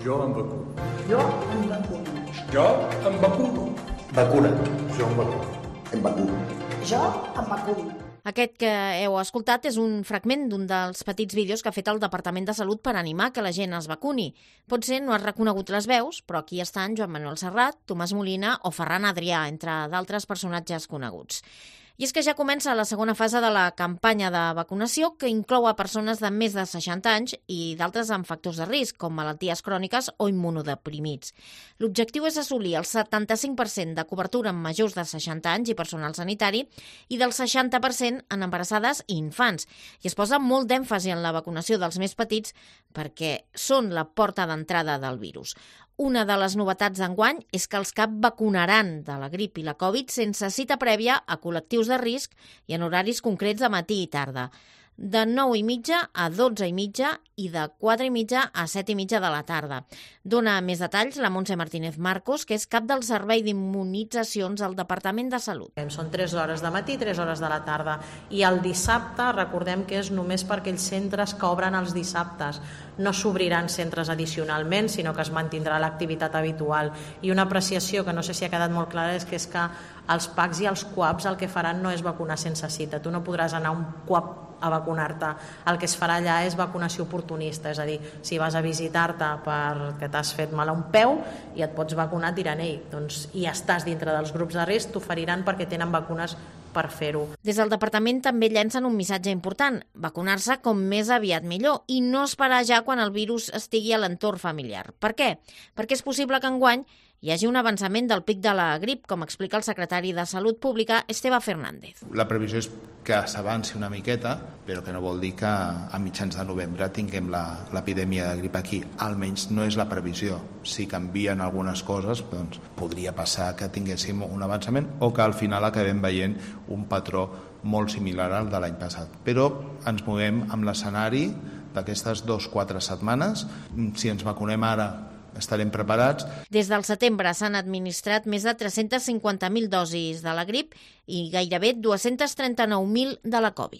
Jo em vacuno. Jo em vacuno. Jo em vacuno. Vacuna. Jo em vacuno. Em vacuno. Jo em vacuno. Aquest que heu escoltat és un fragment d'un dels petits vídeos que ha fet el Departament de Salut per animar que la gent es vacuni. Potser no has reconegut les veus, però aquí estan Joan Manuel Serrat, Tomàs Molina o Ferran Adrià, entre d'altres personatges coneguts. I és que ja comença la segona fase de la campanya de vacunació, que inclou a persones de més de 60 anys i d'altres amb factors de risc, com malalties cròniques o immunodeprimits. L'objectiu és assolir el 75% de cobertura en majors de 60 anys i personal sanitari i del 60% en embarassades i infants. I es posa molt d'èmfasi en la vacunació dels més petits perquè són la porta d'entrada del virus. Una de les novetats d'enguany és que els CAP vacunaran de la grip i la Covid sense cita prèvia a col·lectius de risc i en horaris concrets de matí i tarda, de 9:30 a 12:30 i de 4:30 a 7:30 de la tarda. Dona més detalls la Montse Martínez Marcos, que és cap del Servei d'Immunitzacions al Departament de Salut. Són 3 hores de matí i 3 hores de la tarda. I el dissabte, recordem que és només per aquells centres que obren els dissabtes. No s'obriran centres addicionalment, sinó que es mantindrà l'activitat habitual. I una apreciació que no sé si ha quedat molt clara és que els PACs i els CUAPs el que faran no és vacunar sense cita. Tu no podràs anar a un CUAP a vacunar-te. El que es farà allà és vacunació oportunista, és a dir, si vas a visitar-te perquè t'has fet mal a un peu i et pots vacunar tirant i estàs dintre dels grups de risc, t'oferiran perquè tenen vacunes per fer-ho. Des del departament també llancen un missatge important: vacunar-se com més aviat millor i no esperar ja quan el virus estigui a l'entorn familiar. Per què? Perquè és possible que enguany hi hagi un avançament del pic de la grip, com explica el secretari de Salut Pública, Esteve Fernández. La previsió és que s'avanci una miqueta, però que no vol dir que a mitjans de novembre tinguem l'epidèmia de grip aquí. Almenys no és la previsió. Si canvien algunes coses, doncs podria passar que tinguéssim un avançament o que al final acabem veient un patró molt similar al de l'any passat. Però ens movem amb l'escenari d'aquestes 2-4 setmanes. Si ens vacunem ara, estarem preparats. Des del setembre s'han administrat més de 350.000 dosis de la grip i gairebé 239.000 de la Covid.